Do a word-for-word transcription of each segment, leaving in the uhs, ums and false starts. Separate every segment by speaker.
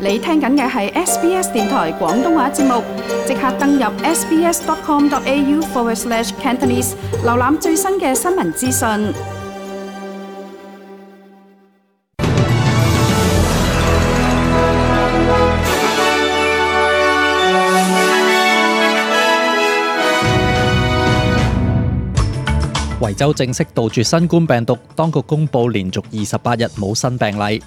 Speaker 1: 你聽緊嘅係 S B S 電台廣東話節目，即刻登入 sbs.com.au forward slash Cantonese， 瀏覽最新嘅新聞資訊。
Speaker 2: 維州正式杜絕新冠病毒，當局公布連續二十八日冇新病例。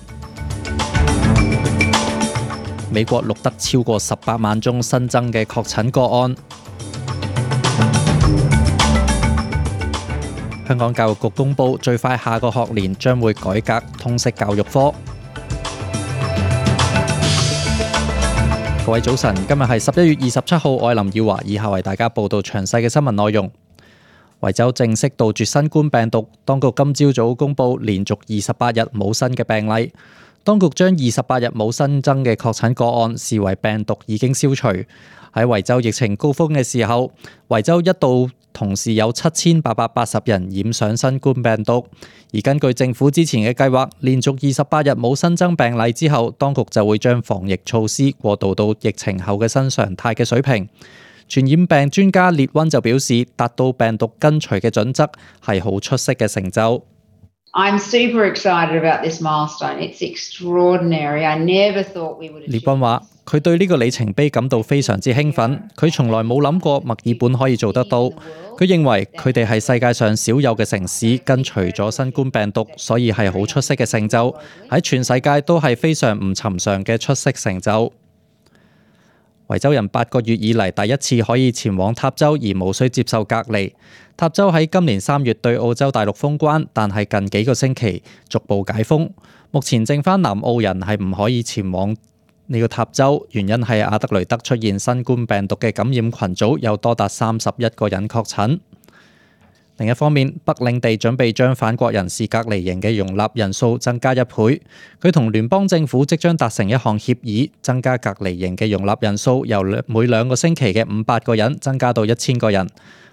Speaker 2: 美國錄得超過十八萬宗新增嘅確診個案。香港教育局公布，最快下個學年將會改革通識教育科。各位早晨，今日係十一月二十七號，我係林耀華，以下為大家報道詳細嘅新聞內容。維州正式杜絕新冠病毒，當局今朝早公布連續二十八日冇新嘅病例。當局將二十八日冇新增嘅確診個案視為病毒已經消除。喺維州疫情高峰嘅時候，維州一度同時有七千八百八十人染上新冠病毒。而根據政府之前嘅計劃，連續二十八日冇新增病例之後，當局就會將防疫措施過渡到疫情後嘅新常態嘅水平。傳染病專家列溫就表示，達到病毒根除嘅準則係好出色嘅成就。
Speaker 3: I'm super excited about this milestone. It's extraordinary. I never thought we would.
Speaker 2: 列溫話，佢對呢個里程碑感到非常之興奮，佢從來冇諗過墨爾本可以做得到。佢認為佢哋係世界上少有嘅城市根除咗新冠病毒，所以係好出色嘅成就，喺全世界都係非常唔尋常嘅出色成就。維州人八個月以嚟第一次可以前往塔州而無需接受隔離。塔州喺今年三月對澳洲大陸封關，但係近幾個星期逐步解封。目前剩返南澳人係唔可以前往呢個塔州，原因係阿德雷德出現新冠病毒嘅感染群組，有多達三十一個人確診。另一方面，北領地準備將反國人士隔離營嘅容納人數增加一倍。佢同聯邦政府即將達成一項協議，增加隔離營嘅容納人數由每兩個星期嘅五百個人增加到一千個人。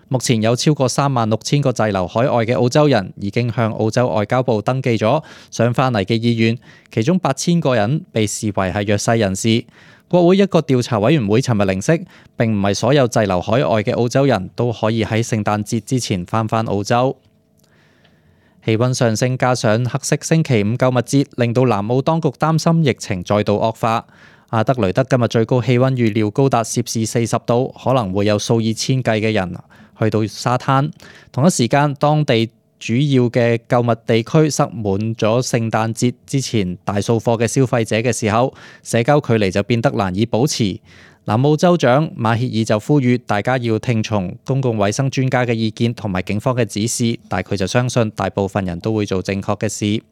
Speaker 2: 目前有超過三萬六千個滯留海外嘅澳洲人已經向澳洲外交部登記咗想返嚟嘅意願，其中八千個人被視為係弱勢人士。國會一個調查委員會尋日零息，並唔係所有滯留海外嘅澳洲人都可以喺聖誕節之前返返澳洲。氣溫上升加上黑色星期五購物節，令到南澳當局擔心疫情再度惡化。阿德雷德今日最高氣溫預料高達攝氏四十度，可能會有數以千計嘅人去到沙灘。同一時間，當地主要嘅購物地區塞滿咗聖誕節之前大掃貨嘅消費者嘅時候，社交距離就變得難以保持。南澳州長馬歇爾就呼籲大家要聽從公共衛生專家嘅意見同埋警方嘅指示，但佢就相信大部分人都會做正確嘅事。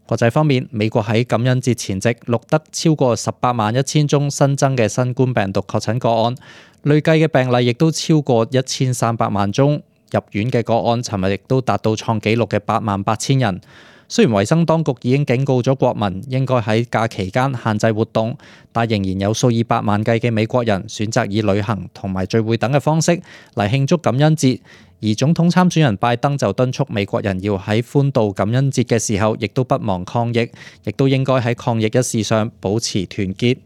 Speaker 2: 國際方面，美國喺感恩節前夕錄得超過十八萬一千宗新增嘅新冠病毒確診個案，累計嘅病例亦都超過一千三百萬宗。入院嘅個案，尋日亦都達到創紀錄嘅八萬八千人。雖然衛生當局已經警告咗國民應該喺假期間限制活動，但仍然有數以百萬計嘅美國人選擇以旅行同埋聚會等嘅方式嚟慶祝感恩節。而總統參選人拜登就敦促美國人要喺歡度感恩節嘅時候，亦都不忘抗疫，亦都應該喺抗疫一事上保持團結。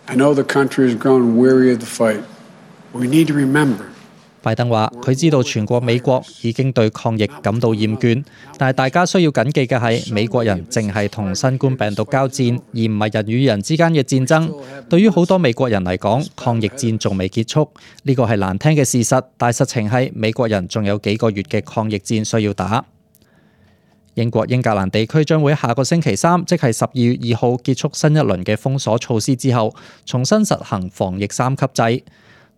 Speaker 4: I know the country has grown weary of the fight. We need to remember.
Speaker 2: 拜登話：佢知道全國美國已經對抗疫感到厭倦，但係大家需要緊記嘅係，美國人淨係同新冠病毒交戰，而唔係人與人之間嘅戰爭。對於好多美國人嚟講，抗疫戰仲未結束，呢個係難聽嘅事實，但實情係美國人仲有幾個月嘅抗疫戰需要打。英國英格蘭地區將會下個星期三，即係十二月二號結束新一輪嘅封鎖措施之後，重新實行防疫三級制。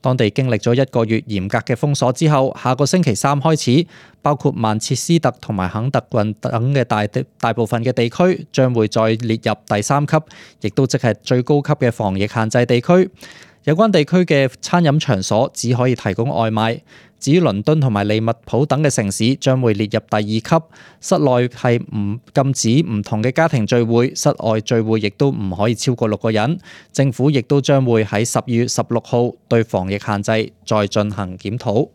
Speaker 2: 當地經歷咗一個月嚴格嘅封鎖之後，下個星期三開始，包括曼徹斯特同埋肯特郡等嘅大大部分嘅地區將會再列入第三級，亦都即係最高級嘅防疫限制地區。有關地區嘅餐飲場所只可以提供外賣。至於倫敦同埋利物浦等嘅城市將會列入第二級，室內係唔禁止唔同嘅家庭聚會，室外聚會亦都唔可以超過六個人。政府亦都將會喺十二月十六號對防疫限制再進行檢討。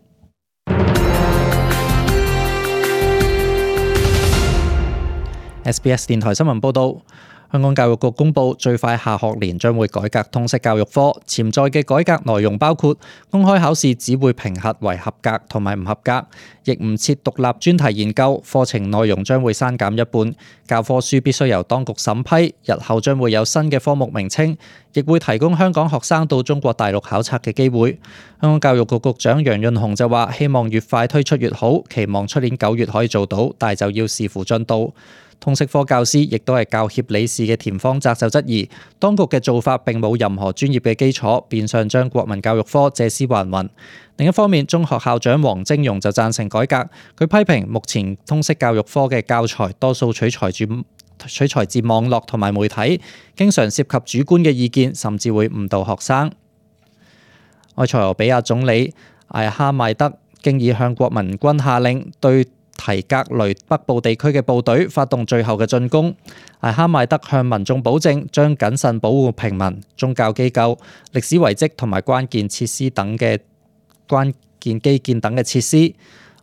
Speaker 2: S B S 電台新聞報導。香港教育局公佈，最快下學年將會改革通識教育科，潛在嘅改革內容包括公開考試只會評核為合格同埋唔合格，亦唔設獨立專題研究，課程內容將會刪減一半，教科書必須由當局審批，日後將會有新嘅科目名稱，亦會提供香港學生到中國大陸考察嘅機會。香港教育局局長楊潤雄就話：希望越快推出越好，期望出年九月可以做到，但就要視乎進度。通識科教師亦都係教協理事嘅田方澤就質疑，當局嘅做法並冇任何專業嘅基礎，變相將國民教育科借屍還魂。另一方面，中學校長黃晶容就贊成改革，佢批評目前通識教育科嘅教材多數取材住取材自網絡同埋媒體，經常涉及主觀嘅意見，甚至會誤導學生。埃塞俄比亞總理艾哈邁德經已向國民軍下令對提格雷北部地區嘅部隊發動最後嘅進攻。艾哈邁德向民眾保證將謹慎保護平民、宗教機構、歷史遺跡同埋關鍵設施等嘅關鍵基建等嘅設施。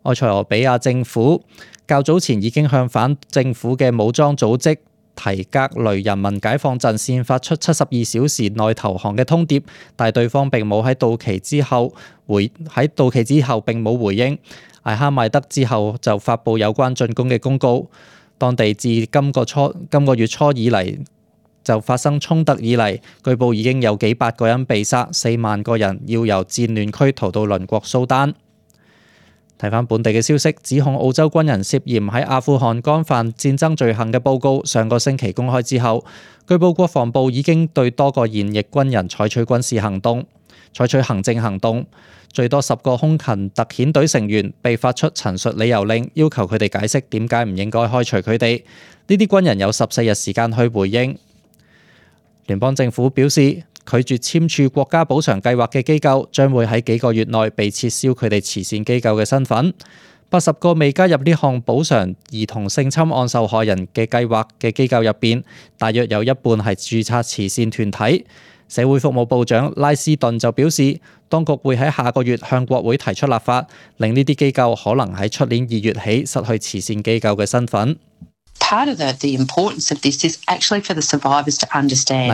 Speaker 2: 埃塞俄比亞政府較早前已經向反政府嘅武裝組織提格雷人民解放陣線發出七十二小時內投降嘅通牒，但對方並冇喺到期之後回喺到期之後並冇回應。艾哈邁德之後就發布有關進攻嘅公告。當地自今個初今個月初以嚟就發生衝突以嚟，據報已經有幾百個人被殺，四萬個人要由戰亂區逃到鄰國蘇丹。睇返本地嘅消息，指控澳洲軍人涉嫌喺阿富汗干犯戰爭罪行嘅報告，上個星期公開之後，據報國防部已經對多個現役軍人採取軍事行動，採取行政行動。最多十個空勤特遣隊成員被發出陳述理由令，要求佢哋解釋點解唔應該開除佢哋。呢啲軍人有十四日時間去回應。聯邦政府表示，拒絕簽署國家補償計劃嘅機構將會喺幾個月內被撤銷佢哋慈善機構嘅身份。八十個未加入呢項補償兒童性侵案受害人嘅計劃嘅機構入邊，大約有一半係註冊慈善團體。社會服務部長拉斯頓就表示，當局會喺下個月向國會提出立法，令呢啲機構可能喺出年二月起失去慈善機構嘅身份。拉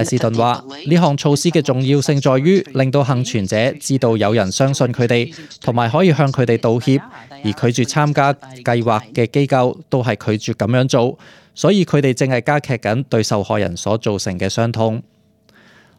Speaker 2: 斯頓話：呢項措施嘅重要性在於令到幸存者知道有人相信佢哋，同埋可以向佢哋道歉，而拒絕參加計劃嘅機構都係拒絕咁樣做，所以佢哋正係加劇緊對受害人所造成嘅傷痛。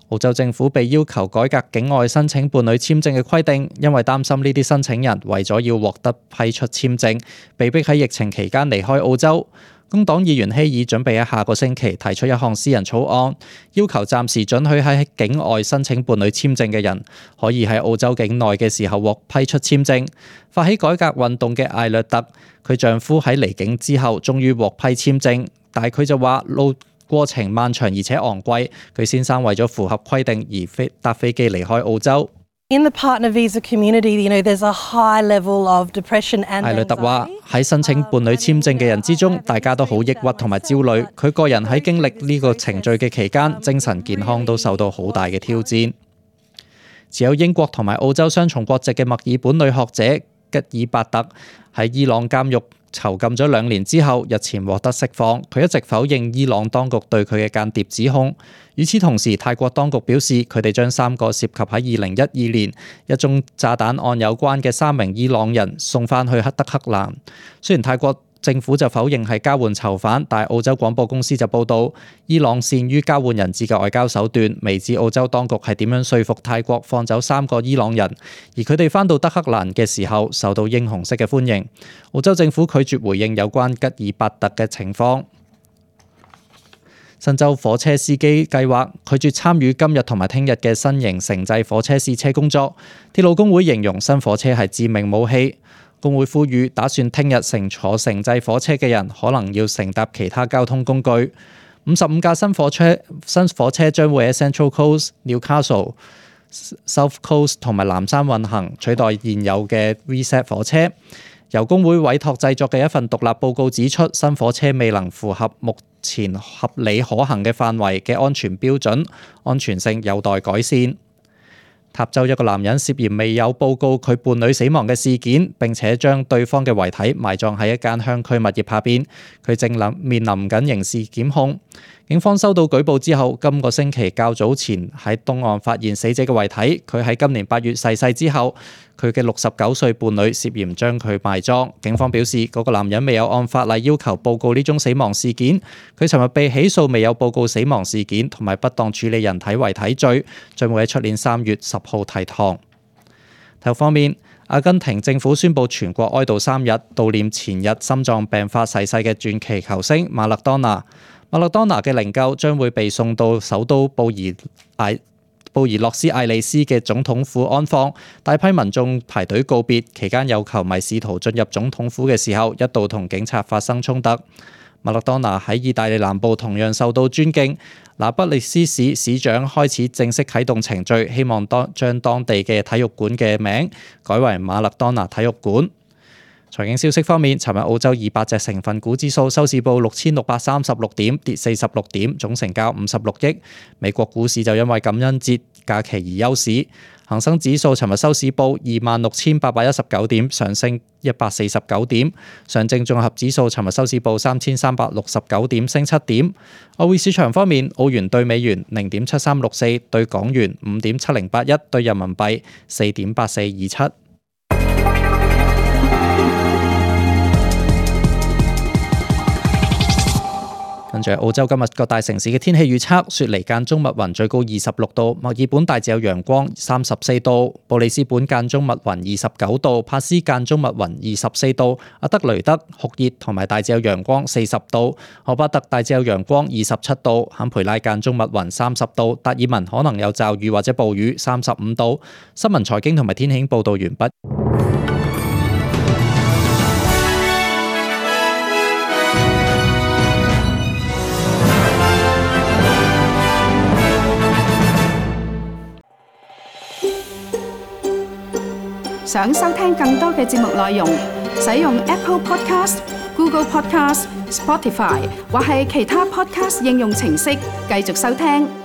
Speaker 2: 澳洲政府被要求改革境外申請伴侶簽證嘅規定，因為擔心呢啲申請人為咗要獲得批出簽證，被迫喺疫情期間離開澳洲。工黨議員希爾準備喺下個星期提出一項私人草案，要求暫時准許喺境外申請伴侶簽證嘅人可以喺澳洲境內嘅時候獲批出簽證。發起改革運動嘅艾略特，佢丈夫喺離境之後終於獲批簽證，但係佢就話路過程漫長而且昂貴，佢先生為咗符合規定而飛搭飛機離開澳洲。
Speaker 5: In the partner visa community, you know, there's a high level of depression and anxiety.
Speaker 2: 艾略特話喺申請伴侶簽證嘅人之中，大家都好抑鬱同埋焦慮。佢個人喺經歷呢個程序嘅期間，精神健康都受到好大嘅挑戰。持有英國同埋澳洲雙重國籍嘅墨爾本女學者吉爾伯特喺伊朗監獄囚禁咗兩年之後，日前獲得釋放。佢一直否認伊朗當局對佢嘅間諜指控。與此同時，泰國當局表示，佢哋將三個涉及喺二零一二年一宗炸彈案有關嘅三名伊朗人送翻去德黑蘭。雖然泰國政府就否認係交換囚犯，但澳洲廣播公司就報道，伊朗善於交換人質嘅外交手段，未知澳洲當局係點樣說服泰國放走三個伊朗人，而佢哋翻到德黑蘭嘅時候受到英雄式嘅歡迎。澳洲政府拒絕回應有關吉爾伯特嘅情況。新州火車司機計劃拒絕參與今日同埋聽日嘅新型城際火車試車工作。鐵路工會形容新火車係致命武器。工會呼籲打算聽日乘坐城際火車嘅人可能要乘搭其他交通工具。五十五架新火車新火車將會喺 Central Coast、Newcastle、South Coast 同埋南山運行，取代現有嘅 V Z 火車。由工會委託製作嘅一份獨立報告指出，新火車未能符合目前合理可行嘅範圍嘅安全標準，安全性有待改善。塔州一個男人涉嫌未有報告佢伴侶死亡嘅事件，並且將對方嘅遺體埋葬喺一間鄉區物業下邊，佢正臨面臨緊刑事檢控。警方收到舉報之後，今個星期較早前喺東岸發現死者嘅遺體。佢喺今年八月逝世之後，佢嘅六十九歲伴侶涉嫌將佢埋葬。警方表示，嗰個男人未有按法例要求報告呢宗死亡事件。佢尋日被起訴未有報告死亡事件同埋不當處理人體遺體罪，將會喺出年三月十號提堂。體育方面，阿根廷政府宣布全國哀悼三日，悼念前日心臟病發逝世嘅傳奇球星馬勒當拿。馬勒當拿嘅靈柩將會被送到首都布宜艾布宜諾斯艾利斯嘅總統府安放，大批民眾排隊告別，期間有球迷試圖進入總統府嘅時候，一度同警察發生衝突。馬勒當拿喺意大利南部同樣受到尊敬，那不勒斯市市長開始正式啟動程序，希望當將當地嘅體育館嘅名改為馬勒當拿體育館。財經消息方面，尋日澳洲二百隻成分股指數收市報六千六百三十六點，跌四十六點，總成交五十六億。美國股市就因為感恩節假期而休市。恒生指數尋日收市報二萬六千八百一十九點，上升一百四十九點。上證綜合指數尋日收市報三千三百六十九點，升七點。外匯市場方面，澳元對美元零點七三六四，對港元五點七零八一，對人民幣四點八四二七。跟住澳洲今日各大城市嘅天氣預測：雪梨間中密雲，最高二十六度；墨爾本大致有陽光，三十四度；布里斯本間中密雲，二十九度；帕斯間中密雲，二十四度；阿德雷德酷熱同埋大致有陽光，四十度；荷巴特大致有陽光，二十七度；坎培拉間中密雲，三十度；達爾文可能有驟雨或者暴雨，三十五度。新聞財經同埋天氣報導完畢。
Speaker 1: 想收聽更多嘅節目內容，使用 Apple Podcast、Google Podcast、Spotify 或係其他 Podcast 應用程式繼續收聽。